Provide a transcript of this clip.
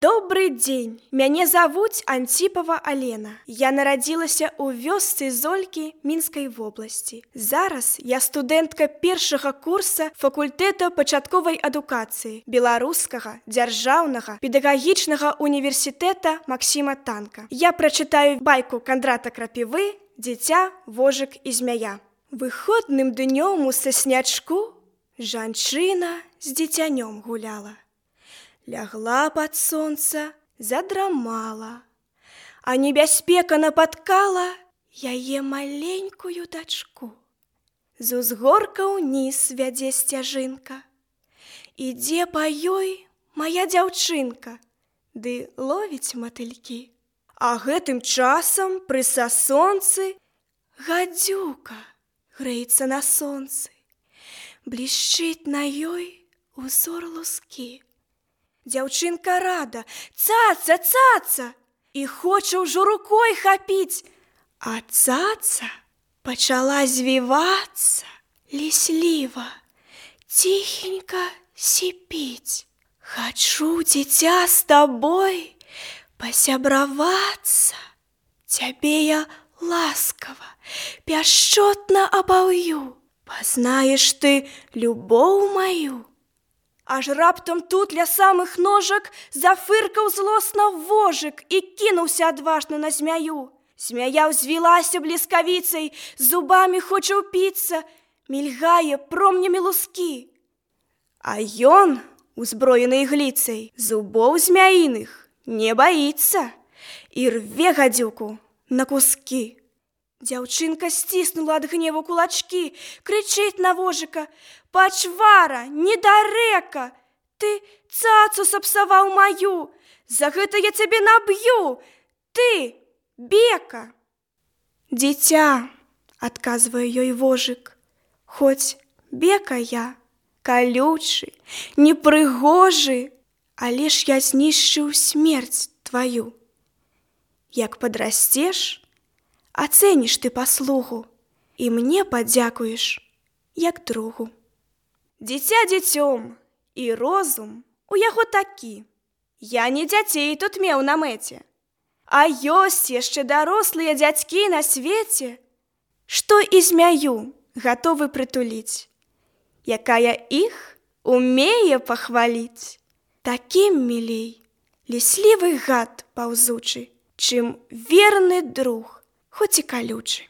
Добрый дзень, мяне завуць Антипова Алена. Я нарадзілася ў вёсцы Золькі Мінскай вобласці. Зараз я студэнтка першага курса факультэта пачатковай адукацыі Беларускага дзяржаўнага педагагічнага універсітэта Максіма Танка. Я прачытаю байку Кандрата Крапівы «Дзіця, вожык і змяя». Выходным днём у саснячку жанчына з дзіцянём гуляла. Лягла под сонца, задрамала, а небяспека напаткала яе маленькую дачку. З узгорка ўніз вядзе сцяжынка, ідзе па ёй моя дзяўчынка, ды ловіць матылькі. А гэтым часам пры сасонцы гадзюка грэецца на сонцы, блішчыць на ёй узор лускі. Дзяўчынка рада, цаца, цаца, і хоча ўжо рукой хапіць, а цаца пачала звівацца лісліва, ціхенька сіпіць. Хачу, дзіця, з табой пасябравацца, цябе я ласкава, пяшчотна абаўю, пазнаеш ты любоў маю. Аж раптам тут ля самых ножак зафыркаў злосна вожык і кінуўся адважна на змяю. Змяя ўзвілася бліскавіцай, зубамі хоча ўпіцца, мільгае промнямі лускі. А ён, узброены ігліцай, зубоў змяіных не баіцца і рве гадзюку на кускі. Дзяўчынка сціснула ад гневу кулачкі, крычыць на вожыка: «Пачвара, недарэка! Ты цацу сапсаваў маю! За гэта я цябе наб'ю! Ты, бека!» «Дзіця», — адказвае ёй вожык, «хоць бека я, калючы, непрыгожы, але ж я знішчыў смерць тваю. Як падрасцеш, ацэніш ты паслугу і мне падзякуеш, як другу». Дзіця дзіцём, і розум у яго такі. Я не дзяцей тут меў на мэце, а ёсць яшчэ дарослыя дзядзькі на свеце, што і змяю гатовы прытуліць, якая іх умее пахваліць. Такім мілей ліслівы гад паўзучы, чым верны друг, хоць і калючы.